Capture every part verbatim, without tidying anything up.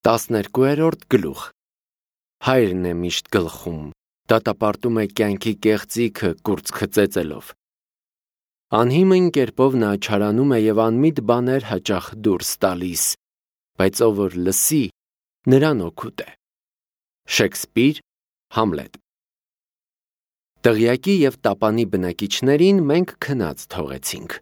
տասներկուերորդ գլուխ Հայրն է միշտ գլխում, դատապարտում է կյանքի կեղծիքը կուրծքը ծեծելով։ Անհիմն կերպով նա չարանում է և անմիտ բաներ հաճախ դուրս տալիս, բայց ով որ լսի, նրան օգուտ է։ Շեքսպիր, Համլետ։ Տղյակի և տապանի բնակիչներին մենք քնած թողեցինք։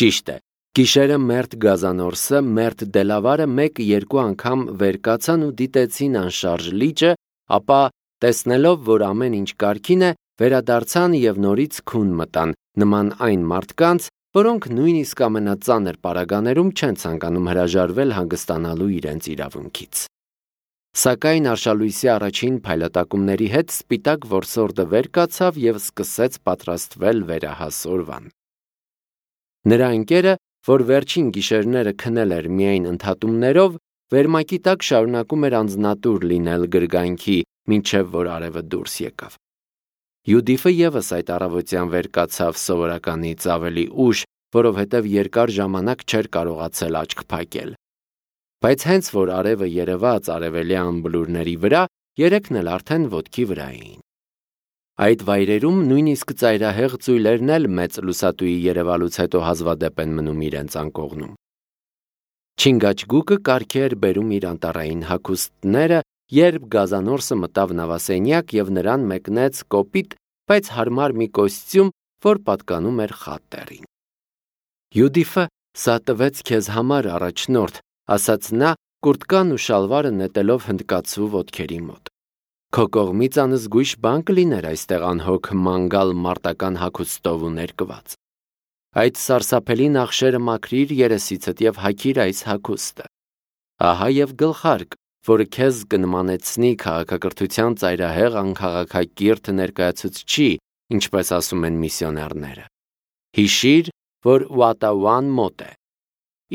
Ճիշտ է, գիշերը մերթ Գազանորսը, մերթ Դելավարը մեկ-երկու անգամ վեր կացան ու դիտեցին անշարժ լիճը, ապա տեսնելով, որ ամեն ինչ կարգին է, վերադարձան և նորից քուն մտան, նման այն մարդկանց, որոնք նույնիսկ ամենածանր պարագաներում չեն ցանկանում հրաժարվել հանգստանալու իրենց իրավունքից։ Սակայն արշալույսի առաջին փայլատակումների հետ սպիտակ որսորդը վեր կացավ և սկսեց պատրաստվել վերահաս օրվան։ Նրա ընկերը, որ վերջին գիշերները քնել էր միայն ընդհատումներով, վերմակի տակ շարունակում էր անձնատուր լինել գրգանքի, մինչև որ արևը դուրս եկավ։ Յուդիֆը ևս այդ առավոտյան վեր կացավ սովորականից ավելի ուշ, որովհետև երկար ժամանակ չէր կարողացել աչք փակել։ Բայց հենց որ արևը երևաց արևելյան բլուրների վրա, երեքն էլ արդեն ոտքի վրա էին։ Այդ վայրերում նույնիսկ ծայրահեղ ծույլերն էլ մեծ լուսատուի երևալուց հետո հազվադեպ են մնում իրենց անկողնում։ Չինգաչգուկը կարգի էր բերում իր անտառային հագուստները, երբ Գազանորսը մտավ նավասենյակ և նրան մեկնեց կոպիտ, բայց հարմար մի կոստյում, որ պատկանում էր խատտերին։ Յուդիֆը, սա տվեց քեզ համար առաջնորդ, ասաց նա, կուրտկան ու շալվարը նետելով հնդկացու ոտքերի մոտ։ Քո կողմից անզգույշ բան կլիներ այստեղ անհոգ մանգալ մարտական հագուստով ու ներկված։ Այդ սարսափելի նախշերը մաքրիր երեսիցդ և հագիր այս հագուստը։ Ահա և գլխարկ, որը քեզ կնմանեցնի քաղաքակրթության ծայրահեղ անքաղաքակիրթ ներկայացուցչի, ինչպես ասում են միսիոներները։ Հիշիր, որ Ուատաուան մոտ է։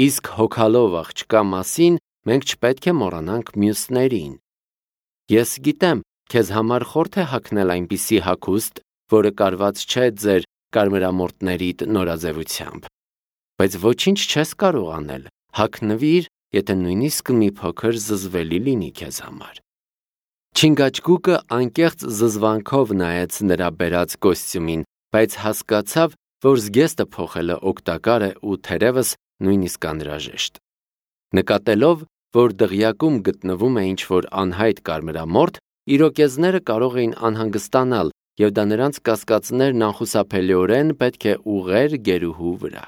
Իսկ հոգալով աղջկա մասին մենք չպետք է մոռանանք մյուսներին։ Ես գիտեմ, քեզ համար խորթ է հագնել այնպիսի հագուստ, որը կարված չէ ձեր կարմրամորթներիդ նորաձևությամբ։ Բայց ոչինչ չես կարող անել, հագնվիր, եթե նույնիսկ մի փոքր զզվելի լինի քեզ համար։ Չինգաչգուկը անկեղծ զզվանքով նայեց նրա բերած կոստյումին, բայց հասկացավ, որ զգեստը փոխելը օգտակար է ու թերևս նույնիսկ անհրաժեշտ։ Նկատելով, որ դղյակում գտնվում է ինչ-որ անհայտ կարմրամորթ, իրոկեզները կարող էին անհանգստանալ, և դա նրանց կասկածներն անխուսափելիորեն պետք է ուղղեր գերուհու վրա։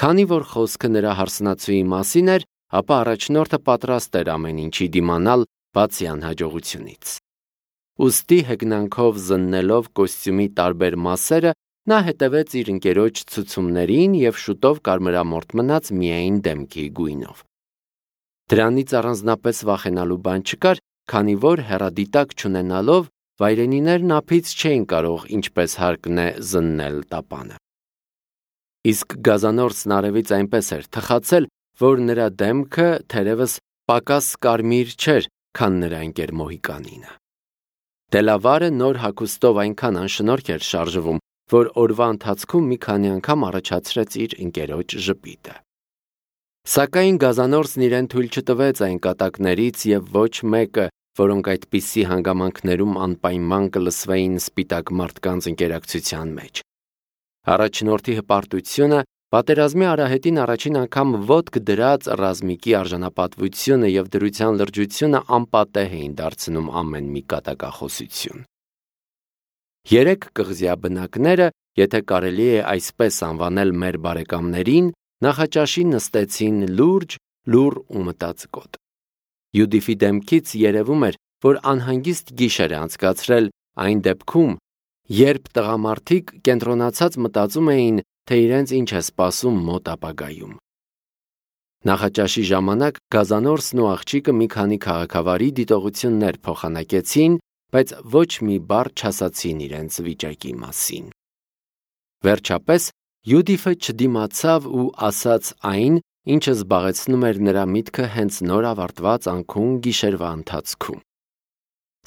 Քանի որ խոսքը նրա հարսնացուի մասին էր, ապա առաջնորդը պատրաստ էր ամեն ինչի դիմանալ, բացի անհաջողությունից։ Ուստի հեգնանքով զննելով կոստյումի տարբեր մասերը, նա հետևեց իր ընկերոջ ցուցումներին և շուտով կարմրամորթ մնաց միայն դեմքի գույնով։ Դրանից առանձնապես վախենալու բան չկար, քանի որ հեռադիտակ չունենալով վայրենիներն ափից չէին կարող ինչպես հարկն է զննել տապանը։ Իսկ Գազանորսն արևից այնպես էր թխացել, որ նրա դեմքը թերևս պակաս կարմիր չէր, քան նրա ընկեր Մոհիկանինը։ Դելավարը նոր հագուստով այնքան անշնորհք էր շարժվում, որ օրվա ընթացքում մի քանի անգամ առաջացրեց իր ընկերոջ ժպիտը։ Սակայն Գազանորսն իրեն թույլ չտվեց այն կատակներից և ոչ մեկը, որոնք այդպիսի հանգամանքներում անպայման կլսվեին սպիտակ մարդկանց ընկերակցության մեջ։ Առաջնորդի հպարտությունը, պատերազմի արահետին առաջին անգամ ոտք դրած ռազմիկի արժանապատվությունը և դրության լրջությունը անպատեհ էին դարձնում ամեն մի կատակախոսություն։ Երեք կղզյա բնակները, եթե կարելի է այսպես անվանել մեր բարեկամներին, նախաճաշի նստեցին լուրջ, լուռ ու մտածկոտ։ Յուդիֆի դեմքից երևում էր, որ անհանգիստ գիշեր է անցկացրել այն դեպքում, երբ տղամարդիկ կենտրոնացած մտածում էին, թե իրենց ինչ է սպասում մոտ ապագայում։ Նախաճաշի ժամանակ Գազանորսն ու աղջիկը մի քանի քաղաքավարի դիտողություններ փոխանակեցին, բայց ոչ մի բառ չասացին իրենց վիճակի մասին։ Վերջապես Յուդիֆը չդիմացավ ու ասաց այն, ինչը զբաղեցնում էր նրա միտքը հենց նոր ավարտված անքուն գիշերվա ընթացքում։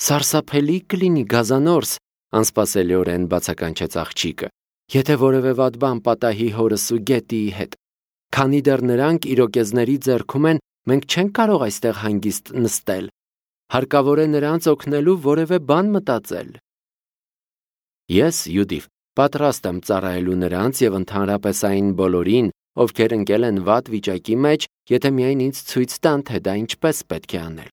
Սարսափելի կլինի, Գազանորս, անսպասելիորեն բացականչեց աղջիկը, եթե որևէ վատ բան պատահի հորս ու գետիի հետ, քանի դեռ նրանք իրոկեզների ձեռքում են մենք չենք կարող այստեղ հանգիստ նստել։ Հարկավոր է նրանց օգնելու որևէ բան մտածել։ Ես, Յուդիֆ, պատրաստ եմ ծառայելու նրանց և ընդհանրապես այն բոլորին, ովքեր ընկել են վատ վիճակի մեջ, եթե միայն ինձ ցույց տան, թե դա ինչպես պետք է անել։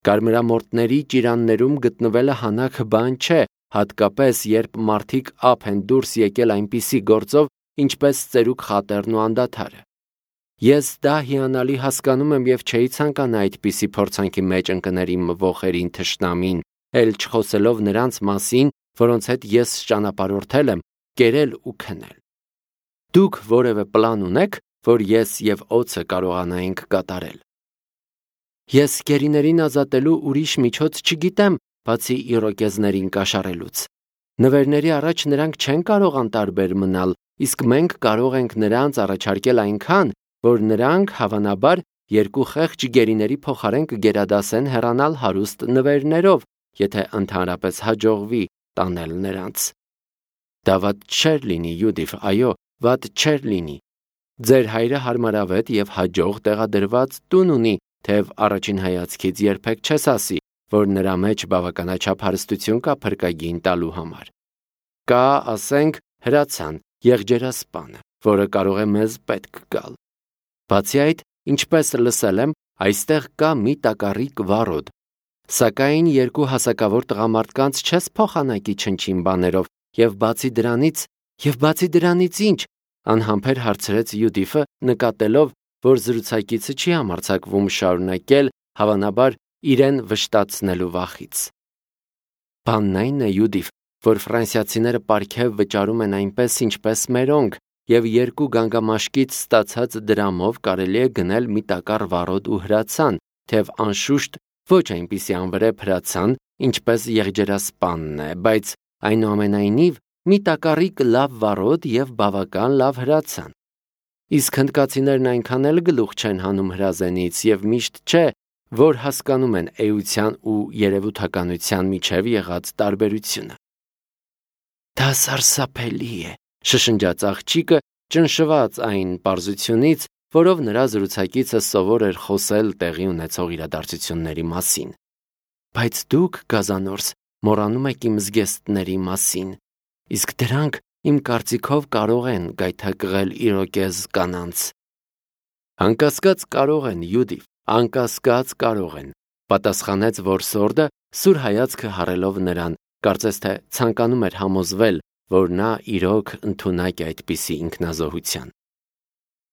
Կարմրամորթների ճիրաններում գտնվելը հանաք բան չէ, հատկապես երբ մարդիկ ափ են դուրս եկել այնպիսի գործով, ինչպես ծերուկ խատերն ու անդադարը։ Ես դա հիանալի հասկանում եմ և չէի ցանկանա այդպիսի փորձանքի մեջ ընկներ իմ ոխերին թշնամին, էլ չխոսելով նրանց մասին, որոնց հետ ես ճանապարհորդել եմ, կերել ու քնել։ Դուք որևէ պլան ունեք, որ ես և օձը կարողանայինք կատարել։ Ես գերիներին ազատելու ուրիշ միջոց չգիտեմ, բացի իրոկեզներին կաշառելուց։ Նվերների առաջ նրանք չեն կարող անտարբեր մնալ, իսկ մենք կարող ենք նրանց առաջարկել այնքան, որ նրանք, հավանաբար, երկու խեղճ գերիների փոխարեն կգերադասեն հեռանալ հարուստ նվերներով, եթե ընդհանրապես հաջողվի տանել նրանց։ Դա վատ չէր լինի, Յուդիֆ, այո, վատ չէր լինի։ Ձեր հայրը հարմարավետ և հաջող տեղադրված տուն ունի, թեև առաջին հայացքից երբեք չես ասի, որ նրա մեջ բավականաչափ հարստություն կա փրկագին տալու համար։ Կա, ասենք, հրացան, եղջերասպանը, որը կարող է մեզ պետք գալ։ Բացի այդ, ինչպես լսել եմ, այստեղ կա մի տակառիկ վառոդ։ Սակայն երկու հասակավոր տղամարդկանց չես փոխանակի չնչին բաներով, և բացի դրանից, և բացի դրանից ինչ, անհամբեր հարցրեց Յուդիֆը, նկատելով, որ զրուցակիցը չի համարձակվում շարունակել, հավանաբար, իրեն վշտացնելու վախից։ Բանն այն է, Յուդիֆ, որ ֆրանսիացիները պարգև վճարում են այնպես, ինչպես մերոնք, և երկու գանգամաշկից ստացած դրամով կարելի է գնել մի տակառ վառոդ ու հրացան, թեև անշուշտ ոչ այնպիսի անվրեպ հրացան, ինչպես եղջերասպանն է, բայց այնուամենայնիվ մի տակառիկ լավ վառոդ և բավական լավ հրացան։ Իսկ հնդկացիներն այնքան էլ գլուխ չեն հանում հրազենից և միշտ չէ, որ հասկանում են էության ու երևութականության միջև եղած տարբերությունը։ Դա սարսափելի է, շշնջաց աղջիկը, ճնշված այն պարզությունից, որով նրա զրուցակիցը սովոր էր խոսել տեղի ունեցող իրադարձությունների մասին։ Բայց դուք, գազանորս, մոռանում եք իմ զգեստների մասին, իսկ դրանք իմ կարծիքով կարող են գայթակղել իրոկեզ կանանց։ Անկասկած կարող են, Յուդիֆ, անկասկած կարող են, պատասխանեց որսորդը, սուր հայացքը հառելով նրան, կարծես թե ցանկանում էր համոզվել, որ նա իրոք ընդունակ է այդպիսի ինքնազոհության։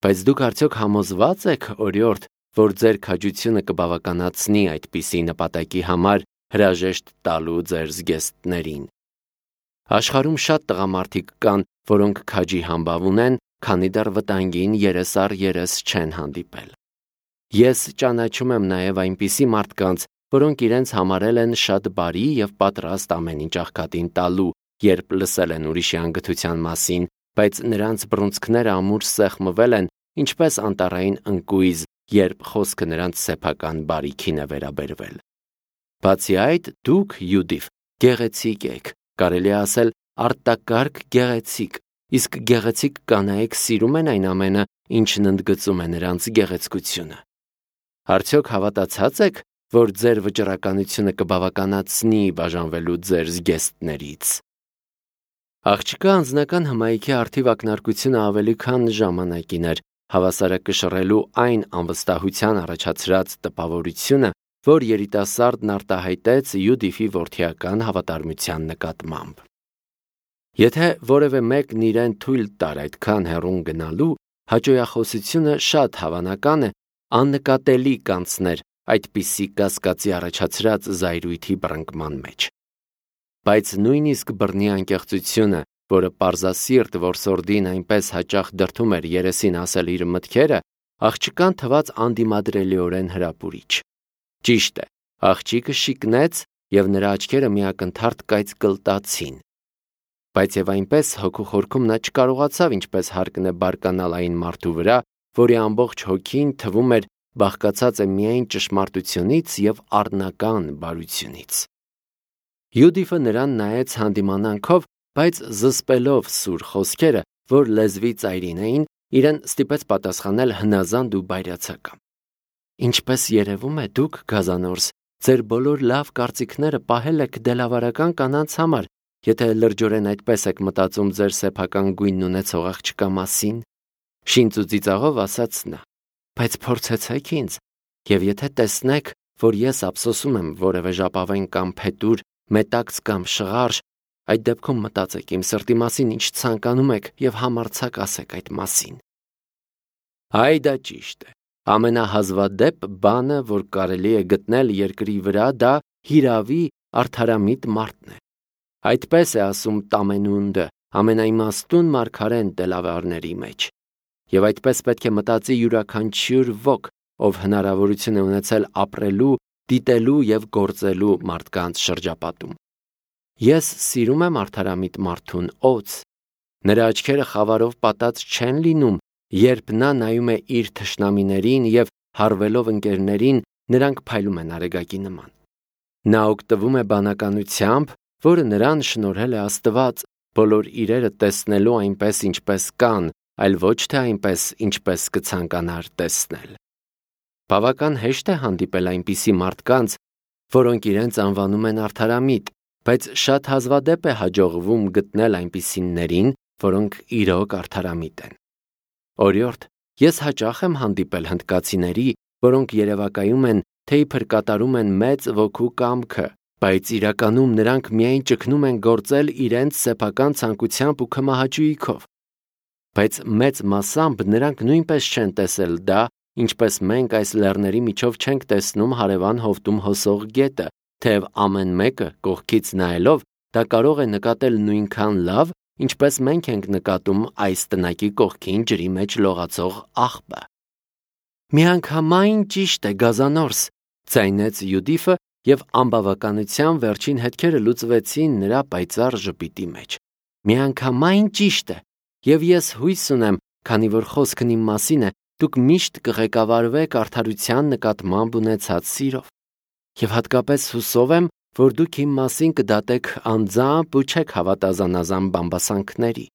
Բայց դուք արդյոք համոզված եք, օրիորդ, որ ձեր քաջությունը կբավականացնի այդպիսի նպատակի համար հրաժեշտ տալու ձեր զգեստներին։ Աշխարհում շատ տղամարդիկ կան, որոնք քաջի համբավ ունեն, քանի դեռ վտանգին երես առ երես չեն հանդիպել։ Ես ճանաչում եմ նաև այնպիսի մարդկանց, որոնք իրենց համարել են շատ բարի և պատրաստ ամեն ինչ աղքատին տալու, երբ լսել են ուրիշի անգթության մասին, բայց նրանց բռունցքները ամուր սեղմվել են, ինչպես անտառային ընկույզ, երբ խոսքը նրանց սեփական բարիքին է վերաբերվել։ Բացի այդ, դուք, Յուդիֆ, գեղեցիկ եք, կարելի է ասել արտակարգ գեղեցիկ, իսկ գեղեցիկ կանայք սիրում են այն ամենը, ինչն ընդգծում է նրանց գեղեցկությունը։ Արդյոք հավատացած եք, որ ձեր վճռականությունը կբավականացնի բաժանվելու ձեր զգեստներից։ Աղջկա անձնական հմայքի արդիվ ակնարկությունը ավելի քան ժամանակին էր, հավասարակշռելու այն անվստահության առաջացրած տպավորությունը, որ երիտասարդն արտահայտեց Յուդիֆի որդիական հավատարմության նկատմամբ։ Եթե որևէ մեկն իրեն թույլ տար այդքան հեռուն գնալու, հաճոյախոսությունը շատ հավանական է, աննկատելի կանցներ այդպիսի կասկածի առաջացրած զայրույթի բռնկման մեջ։ Բայց նույնիսկ բռնի անկեղծությունը, որը պարզասիրտ որսորդին այնպես հաճախ դրդում էր երեսին ասել իր մտքերը, աղջկան թվաց անդիմադրելիորեն հրապուրիչ։ Ճիշտ է, աղջիկը շիկնեց, և նրա աչքերը միակնթարթ կայծկլտացին։ Բայց և այնպես հոգու խորքում նա չկարողացավ ինչպես հարկն է բարկանալ այն մարդու վրա, որի ամբողջ հոգին թվում էր բաղկացած է միայն ճշմարտությունից և առնական բարությունից։ Յուդիֆը նրան նայեց հանդիմանանքով, բայց զսպելով սուր խոսքերը, որ լեզվի ծայրին էին, իրեն ստիպեց պատասխանել հնազանդ ու բայրացակամ։ Ինչպես երևում է, դուք, գազանորս, ձեր բոլոր լավ կարծիքները պահել եք դելավարական կանանց համար, եթե լրջորեն այդպես եք մտածում ձեր սեփական գույնն ունեցող աղջկա մասին, շինծ ու ծիծաղով ասաց նա, բայց փորձեցեք ինձ, եւ եթե տեսնեք, որ ես ափսոսում եմ որևէ ժապավեն կամ փետուր, մետաքս կամ շղարշ, այդ դեպքում մտածեք իմ սրտի մասին, ինչ ցանկանում եք եւ համարձակ ասեք այդ մասին։ Այ դա ճիշտ է։ Ամենահազվադեպ բանը, որ կարելի է գտնել երկրի վրա, դա հիրավի արդարամիտ մարդն է։ Այդպես է ասում Տամենունդը, ամենաիմաստուն մարգարեն դելավարների մեջ։ Եվ այդպես պետք է մտածի յուրաքանչյուր ոք, ով հնարավորություն է ունեցել ապրելու, դիտելու եւ գործելու մարդկանց շրջապատում։ Ես սիրում եմ արդարամիտ մարդուն օձ։ Նրա աչքերը խավարով պատած չեն լինում, երբ նա նայում է իր թշնամիներին եւ հարվելով ընկերներին, նրանք փայլում են արեգակի նման։ Նա օգտվում է բանականությամբ, որը նրան շնորհել է Աստված, բոլոր իրերը տեսնելու այնպես, ինչպես կան, այլ ոչ թե այնպես, ինչպես կցանկանար տեսնել։ Բավական հեշտ է հանդիպել այնպիսի մարդկանց, որոնք իրենց անվանում են արդարամիտ, բայց շատ հազվադեպ է հաջողվում գտնել այնպիսիներին, որոնք իրոք արդարամիտ են։ Օրիորդ, ես հաճախ եմ հանդիպել հնդկացիների, որոնք երևակայում են, թե իբր կատարում են մեծ ոգու կամքը, բայց իրականում նրանք միայն ճգնում են գործել իրենց սեփական ցանկությամբ ու քմահաճույքով։ Բայց մեծ մասամբ նրանք նույնպես չեն տեսել դա, ինչպես մենք այս լեռների միջով չենք տեսնում հարևան հովտում հոսող գետը, թեև ամեն մեկը կողքից նայելով դա կարող է նկատել նույնքան լավ, ինչպես մենք ենք նկատում այս տնակի կողքին ջրի մեջ լողացող աղբը։ Միանգամայն ճիշտ է, գազանորս, ձայնեց Յուդիֆը, եւ ամբավականության վերջին հետքերը լուծվեցին նրա պայծառ ժպիտի մեջ։ Միանգամայն ճիշտ է, եւ ես հույս ունեմ, քանի որ խոսքն իմ մասին է, դուք միշտ կղեկավարվեք արդարության նկատմամբ ունեցած սիրով։ Եվ հատկապես հուսով եմ, որ դուք իմ մասին կդատեք անձամբ ու չեք հավատա զանազան բամբասանքների։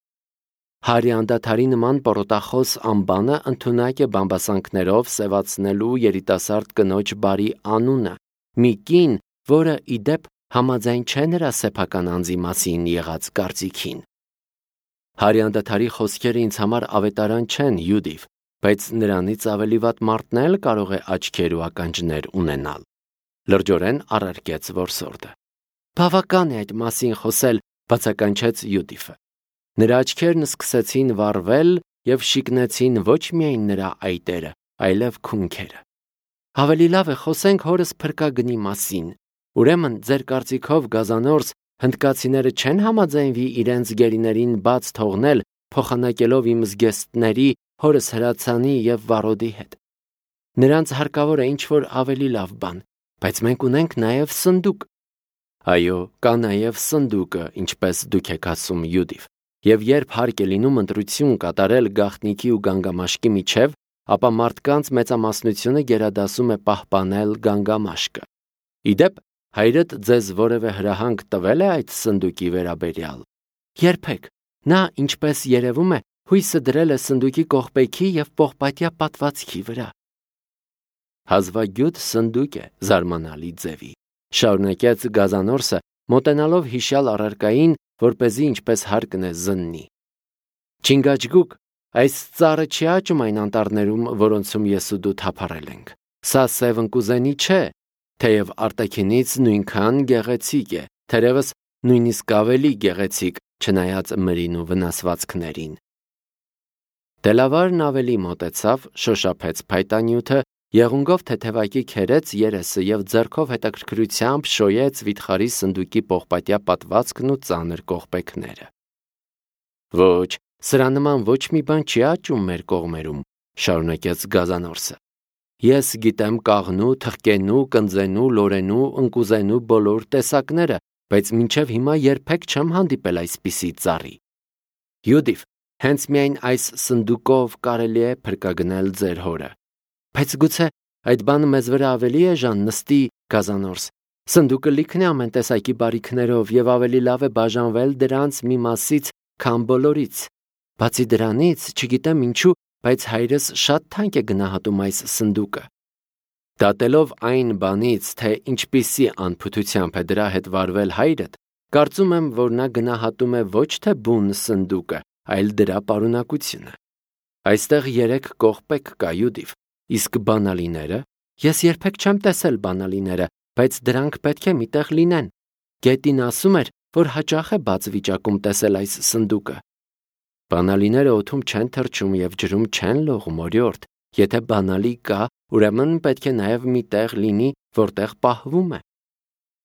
Հարի անդադարի նման պորոտախոս անբանը ընդունակ է բամբասանքներով սևացնելու երիտասարդ կնոջ բարի անունը, մի կին, որը ի դեպ համաձայն չէ նրա սեփական անձի մասին եղած կարծիքին։ Հարի անդադարի խոսքերը ինձ համար ավետարան չեն, Յուդիվ, բայց նրանից ավելի վատ մարդն էլ կարող է աչքեր ու ականջներ ունենալ։ Լրջորեն առարկեց որսորդը։ Բավական է այդ մասին խոսել, բացականչեց Յուդիֆը։ Նրա աչքերն սկսեցին վառվել եւ շիկնեցին ոչ միայն նրա այտերը, այլև քունքերը։ Ավելի լավ է խոսենք հորս փրկագնի մասին։ Ուրեմն ձեր կարծիքով, գազանորս, հնդկացիները չեն համաձայնվի իրենց գերիներին բաց թողնել, փոխանակելով իմ զգեստների, հորս հրացանի եւ վառոդի հետ։ Նրանց հարկավոր է ինչ-որ ավելի լավ բան, բայց մենք ունենք նաեւ սնդուկ։ Այո, կա նաեւ սնդուկը, ինչպես դուք եք ասում, Յուդիվ, եւ երբ հարկ է լինում ընտրություն կատարել գաղտնիքի ու գանգամաշկի միջև, ապա մարդկանց մեծամասնությունը գերադասում է պահպանել գանգամաշկը։ Իդեպ, հայրդ ձեզ որևէ հրահանգ տվել է այդ սնդուկի վերաբերյալ։ Երբեք, նա, ինչպես երևում է, հույսը դրել է սնդուկի կողպեքի եւ պողպատյա պատվածքի վրա։ Հազվագյուտ սնդուկ է, զարմանալի ձևի, շարունակեց գազանորսը, մոտենալով հիշյալ առարկային, որպեսզի ինչպես հարկն է զննի։ Չինգաչգուկ, այս ծառը չի աճում այն անտառներում, որոնցում ես ու դու թափառել ենք։ Սա սև ընկուզենի չէ, թեև արտաքինից նույնքան գեղեցիկ է, թերևս նույնիսկ ավելի գեղեցիկ, չնայած մրին ու վնասվածքներին։ Դելավարն ավելի մոտեցավ, շոշափեց փայտանյութը, եղունգով թեթևակի քերեց երեսը եւ ձեռքով հետաքրքրությամբ շոյեց վիթխարի սնդուկի պողպատյա պատվածքն ու ծանր կողպեքները։ Ոչ, սրա նման ոչ մի բան չի աճում մեր կողմերում, շարունակեց գազանորսը։ Ես գիտեմ կաղնու, թխկենու, կնձենու, լորենու, ընկուզենու բոլոր տեսակները, բայց մինչև հիմա երբեք չեմ հանդիպել այսպիսի ծառի։ Յուդիվ, հենց միայն այս սնդուկով կարելի է փրկագնել ձեր հորը։ Բայց գուցե այդ բանը մեզ վրա ավելի էժան նստի, գազանորս։ Սնդուկը լիքն է ամեն տեսակի բարիքներով եւ ավելի լավ է բաժանվել դրանց մի մասից, քան բոլորից։ Բացի դրանից, չգիտեմ ինչու, բայց հայրս շատ թանկ է գնահատում այս սնդուկը։ Դատելով այն բանից, թե ինչպիսի անփութությամբ է դրա հետ վարվել հայրդ, կարծում եմ, որ նա գնահատում է ոչ թե բուն սնդուկը, այլ դրա պարունակությունը։ Այստեղ երեք կողպեք կա, Յուդիվ, իսկ բանալիները, ես երբեք չեմ տեսել բանալիները, բայց դրանք պետք է միտեղ լինեն։ Գետին ասում էր, որ հաճախ է բաց վիճակում տեսել այս սնդուկը։ Բանալիները օդում չեն թռչում և ջրում չեն լողում, օրիորդ, եթե բանալի կա, ուրեմն պետք է նաև մի տեղ լինի, որտեղ պահվում է։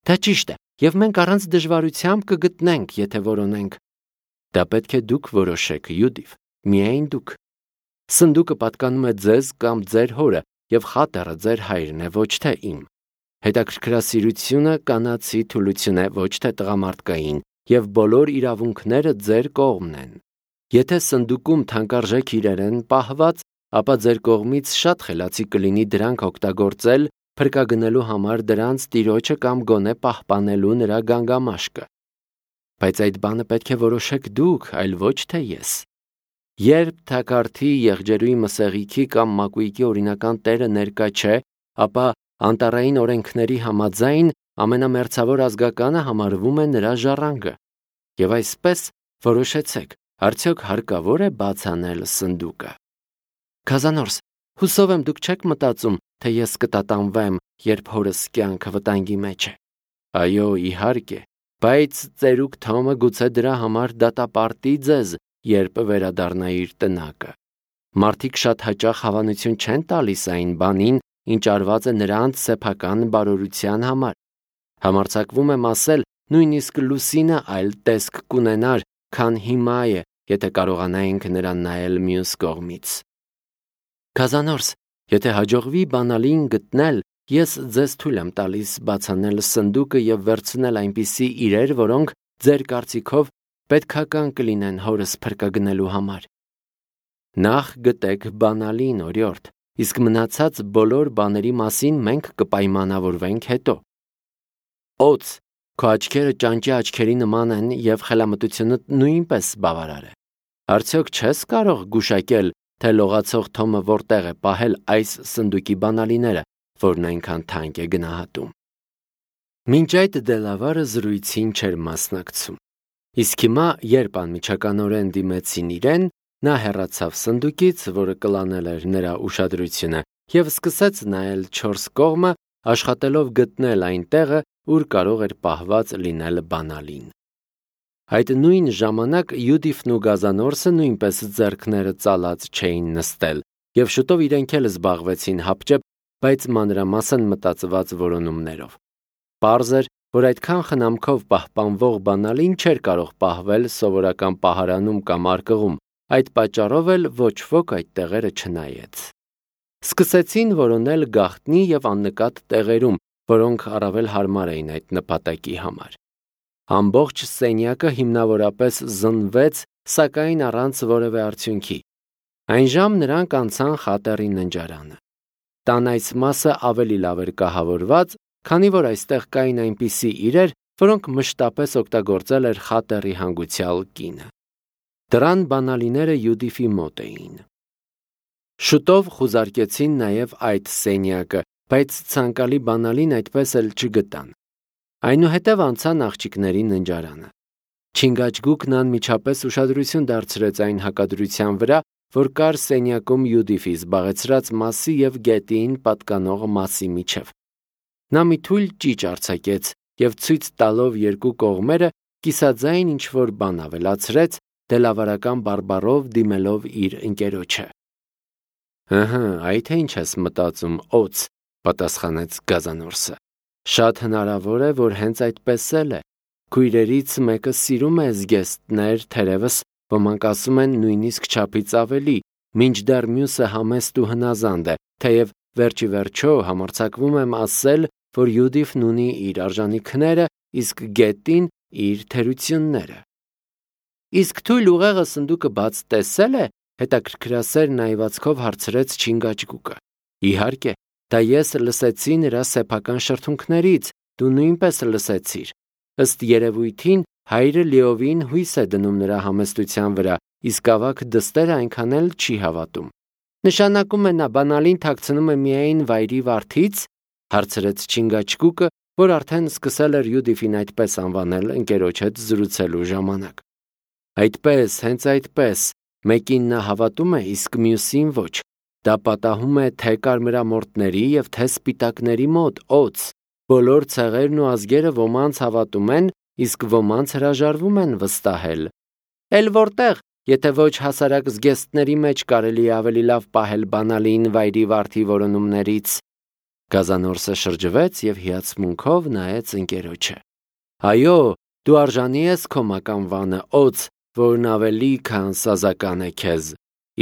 Դա ճիշտ է, և մենք առանց դժվարությամբ կգտնենք, եթե որոնենք։ Դա պետք է դուք որոշեք, Յուդիվ, միայն դուք։ Սնդուկը պատկանում է ձեզ կամ ձեր հորը, և խատերը ձեր հայրն է, ոչ թե իմ։ Հետաքրքրասիրությունը կանացի թուլություն է, ոչ թե տղամարդկային, և բոլոր իրավունքները ձեր կողմն են։ Եթե սնդուկում թանկարժեք իրեր են պահված, ապա ձեր կողմից շատ խելացի կլինի դրանք օգտագործել փրկագնելու համար դրանց տիրոջը կամ գոնե պահպանելու նրա գանգամաշկը։ Բայց այդ բանը պետք է որոշեք դուք, այլ ոչ թե ես։ Երբ թակարդի, եղջերուի մսեղիքի կամ մակույկի օրինական տերը ներկա չէ, ապա անտառային օրենքների համաձայն ամենամերձավոր ազգականը համարվում է նրա ժառանգը։ Եվ այսպես որոշեցեք, արդյոք հարկավոր է բաց անել սնդուկը։ Քազանորս, հուսով եմ դուք չեք մտածում, թե ես կտատանվեմ, երբ հորս կյանքը վտանգի մեջ է։ Այո, իհարկե, բայց ծերուկ Թոմը գուցե դրա համար դատապարտի ձեզ, երբ վերադառնա իր տնակը։ Մարդիկ շատ հաճախ հավանություն չեն տալիս այն բանին, ինչ արված է նրանց սեփական բարօրության համար։ Համարձակվում եմ ասել, նույնիսկ Լուսինը այլ տեսք կունենար, քան հիմա է, եթե կարողանայինք նրան նայել մյուս կողմից։ Քազանորս, եթե հաջողվի բանալին գտնել, ես ձեզ թույլ եմ տալիս բացանել սնդուկը և վերցնել այնպիսի իրեր, որոնք ձեր կարծիքով պետքական կլինեն հորս փրկագնելու համար։ Նախ գտեք բանալին, օրիորդ, իսկ մնացած բոլոր բաների մասին մենք կպայմանավորվենք հետո։ Օց, քո աչքերը ճանճի աչքերի նման են և խելամտությունդ նույնպես բավարար է։ Արդյոք չես կարող գուշակել, թե լողացող Թոմը որտեղ է պահել այս սնդուկի բանալիները, որն այնքան թանկ է գնահատում։ Մինչ այդ Դելավարը զրույցին չէր մասնակցում։ Իսկ հիմա, երբ անմիջականորեն դիմեցին իրեն, նա հեռացավ սնդուկից, որը կլանել էր նրա ուշադրությունը, և սկսեց նայել չորս կողմը, աշխատելով գտնել այն տեղը, ուր կարող էր պահված լինել բանալին։ Այդ նույն ժամանակ Յուդիֆն ու Գազանորսը նույնպես ձեռքները ծալած չէին նստել, և շուտով իրենք էլ զբաղվեցին հապճեպ, բայց մանրամասն մտածված որոնումներով։ Պարզ էր, որ այդքան խնամքով պահպանվող բանալին չէր կարող պահվել սովորական պահարանում կամ արկղում, այդ պատճառով էլ ոչ ոք այդ տեղերը չնայեց։ Սկսեցին որոնել գաղտնի և աննկատ տեղերում, որոնք առավել հարմար էին այդ նպատակի համար։ Ամբողջ սենյակը հիմնավորապես զնվեց, սակայն առանց որևէ արդյունքի։ Այնժամ նրանք անցան խատերի ննջարանը։ Տան այս մասը ավելի լավ էր կահավորված, քանի որ այստեղ կային այնպիսի իրեր, որոնք մշտապես օգտագործել էր խատերի հանգուցյալ կինը։ Դռան բանալիները Յուդիֆի մոտ էին։ Շուտով խուզարկեցին նաև այդ սենյակը, բայց ցանկալի բանալին այդպես էլ չգտան։ Այնուհետև անցան աղջիկների ննջարանը։ Չինգաչգուկն անմիջապես ուշադրություն դարձրեց այն հակադրության վրա, որ կար սենյակում Յուդիֆի զբաղեցրած մասի և գետին պատկանող մասի միջև։ Նա մի թույլ ճիչ արձակեց և ցույց տալով երկու կողմերը կիսաձայն ինչ-որ բան ավելացրեց, դելավարական բարբառով դիմելով իր ընկերոջը։ Ըհը, այ թե ինչ ես մտածում, օց, պատասխանեց Գազանորսը։ Շատ հնարավոր է, որ հենց այդպես էլ է։ Քույրերից մեկը սիրում է զգեստներ, թերևս ոմանք ասում են նույնիսկ չափից ավելի, մինչդեռ մյուսը համեստ ու հնազանդ է, թեև վերջի վերջո համարձակվում եմ ասել, որ Յուդիֆն ունի իր արժանիքները, իսկ գետին իր թերությունները։ Իսկ թույլ ուղեղը սնդուկը բաց տեսել է, հետաքրքրասեր նայվածքով հարցրեց Չինգաչգուկը։ Իհարկե, դա ես լսեցի նրա սեփական շրթունքներից, դու նույնպես լսեցիր։ Ըստ երևույթին հայրը լիովին հույս է դնում նրա համեստության վրա, իսկ ավագ դստերը այնքան էլ չի հավատում։ Նշանակում է նա բանալին թաքցնում է միայն վայրի վարդից, հարցրեց Չինգաչգուկը, որ արդեն սկսել էր Յուդիֆին այդպես անվանել ընկերոջ հետ զրուցելու ժամանակ։ Այդպես, հենց այդպես, մեկին նա հավատում է, իսկ մյուսին ոչ։ Դա պատահում է թե կարմրամորթների և թե սպիտակների մոտ, օձ։ Բոլոր ցեղերն ու ազգերը ոմանց հավատում են, իսկ ոմանց հրաժարվում են վստահել։ Էլ որտեղ, եթե ոչ հասարակ զգեստների մեջ կարելի է ավելի լավ պահել բանալին վայրի վարդի որոնումներից։ Գազանորսը շրջվեց և հիացմունքով նայեց ընկերոջը։ Այո, դու արժանի ես քո մականվանը, օձ, որն ավելի քան սազական է քեզ։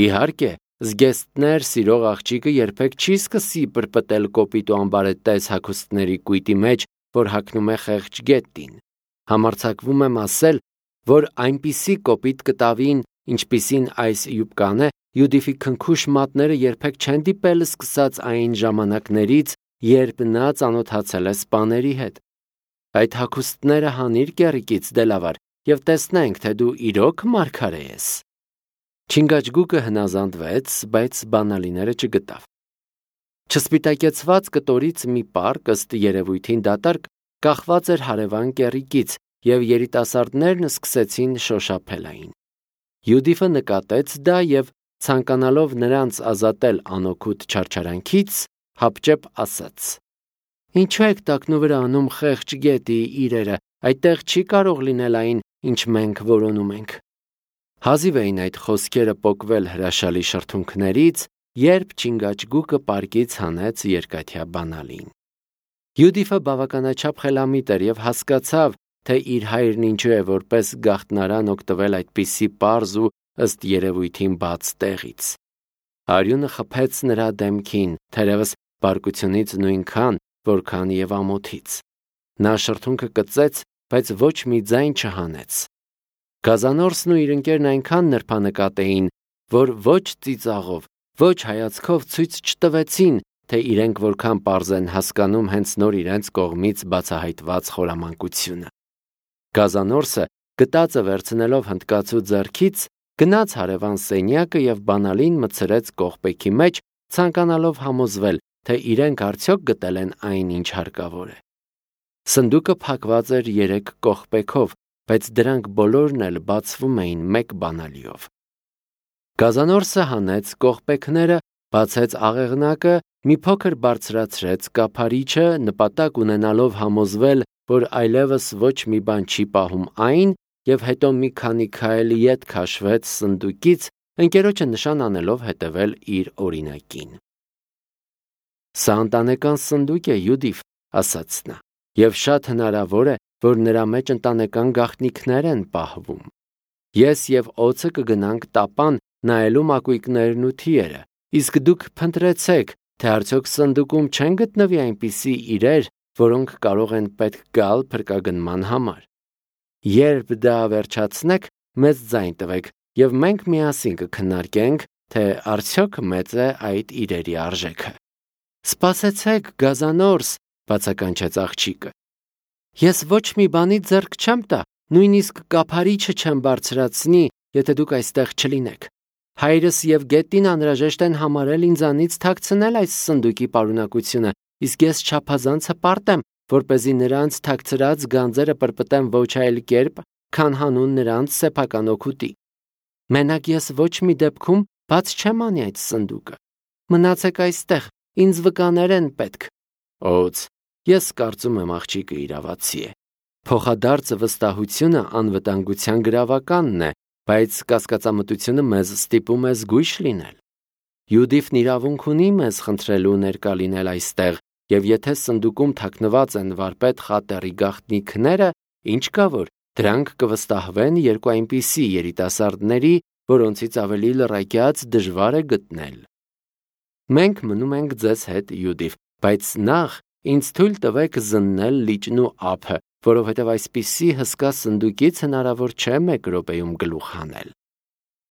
Իհարկե, զգեստներ սիրող աղջիկը երբեք չի սկսի պրպտել կոպիտ ու ամբարետես հագուստների կույտի մեջ, որ հագնում է խեղճ գետին։ Համարձակվում եմ ասել, որ այնպիսի կոպիտ կտավին, ինչպիսին այս յուբկան է, Յուդիֆի քնքուշ մատները երբեք չեն դիպել սկսած այն ժամանակներից, երբ նա ծանոթացել է սպաների հետ։ Այդ հագուստները հանիր կեռիկից, Դելավար, և տեսնենք, թե դու իրոք մարգարե ես։ Չինգաչգուկը հնազանդվեց, բայց բանալիները չգտավ։ Չսպիտակեցված կտորից մի պարկ, ըստ երևույթին դատարկ, կախված էր հարևան կեռիկից, և երիտասարդներն սկսեցին շոշափել այն։ Յուդիֆը նկատեց դա և, ցանկանալով նրանց ազատել անօգուտ չարչարանքից, հապճեպ ասաց. Ինչու եք տակնու վրա անում խեղճ գետի իրերը, այդտեղ չի կարող լինել այն, ինչ մենք որոնում ենք։ Հազիվ էին այդ խոսքերը պոկվել հրաշալի շրթունքներից, երբ Չինգաչգուկը պարկից հանեց երկաթյա բանալին։ Յուդիֆը բավականաչափ խելամիտ էր և հասկացավ, թե իր հայրն ինչու է որպես գաղտնարան օգտվել այդպիսի պարզ ու ըստ երևույթին բաց տեղից։ Արյունը խփեց նրա դեմքին, թերևս բարկությունից նույնքան, որքան և ամոթից։ Նա շրթունքը կծեց, բայց ոչ մի ձայն չհանեց։ Գազանորսն ու իր ընկերն այնքան նրբանկատ էին, որ ոչ ծիծաղով, ոչ հայացքով ցույց չտվեցին, թե իրենք որքան պարզ են հասկանում հենց նոր իրենց կողմից բացահայտված խորամանկությունը։ Գազանորսը, գտածը վերցնելով հնդկացու ձեռքից, գնաց հարևան սենյակը և բանալին մտցրեց կողպեքի մեջ, ցանկանալով համոզվել, թե իրենք արդյոք գտել են այն, ինչ հարկավոր է։ Սնդուկը փակված էր երեք կողպեքով, բայց դրանք բոլորն էլ բացվում էին մեկ բանալիով։ Գազանորսը հանեց կողպեքները, բացեց աղեղնակը, մի փոքր բարձրացրեց կափարիչը, նպատակ ունենալով համոզվել, որ այլևս ոչ մի բան չի պահում այն, և հետո մի քանի քայլ ետ քաշվեց սնդուկից, ընկերոջը նշան անելով հետևել իր օրինակին։ Սա ընտանեկան սնդուկ է, Յուդիֆ, ասաց նա, և շատ հնարավոր է, որ նրա մեջ ընտանեկան գաղտնիքներ են պահվում։ Ես և օձը կգնանք տապան նայելու մակույկներն ու թիերը, իսկ դուք փնտրեցեք, թե արդյոք սնդուկում չեն գտնվի այնպիսի իրեր, որոնք կարող են պետք գալ փրկագնման համար։ Երբ դա վերջացնեք, մեզ ձայն տվեք, և մենք միասին կքննարկենք, թե արդյոք մեծ է այդ իրերի արժեքը։ Սպասեցեք, Գազանորս, բացականչեց աղջիկը։ Ես ոչ մի բանի ձեռք չեմ տա, նույնիսկ կափարիչը չեմ բարձրացնի, եթե դուք այստեղ չլինեք։ Հայրս և գետին անհրաժեշտ են համարել ինձանից թաքցնել այս սնդուկի պարունակությունը, իսկ ես չափազանց հպարտ եմ, որպեսզի նրանց թաքցրած գանձերը պրպտեմ ոչ այլ կերպ, քան հանուն նրանց սեփական օգուտի։ Մենակ ես ոչ մի դեպքում բաց չեմ անի այդ սնդուկը։ Մնացեք այստեղ, ինձ վկաներ են պետք։ Օձ, ես կարծում եմ աղջիկը իրավացի է։ Փոխադարձ վստահությունը անվտանգության գրավականն է, բայց կասկածամտությունը մեզ ստիպում է զգույշ լինել։ Յուդիֆն իրավունք ունի մեզ խնդրելու ներկա լինել այստեղ, և եթե սնդուկում թաքնված են վարպետ խատերի գաղտնիքները, ինչ կա որ, դրանք կվստահվեն երկու այնպիսի երիտասարդների, որոնցից ավելի լռակյաց դժվար է գտնել։ Մենք մնում ենք ձեզ հետ, Յուդիֆ, բայց նախ ինձ թույլ տվեք զննել լիճն ու ափը, որովհետև այսպիսի հսկա սնդուկից հնարավոր չէ մեկ րոպեում գլուխ հանել։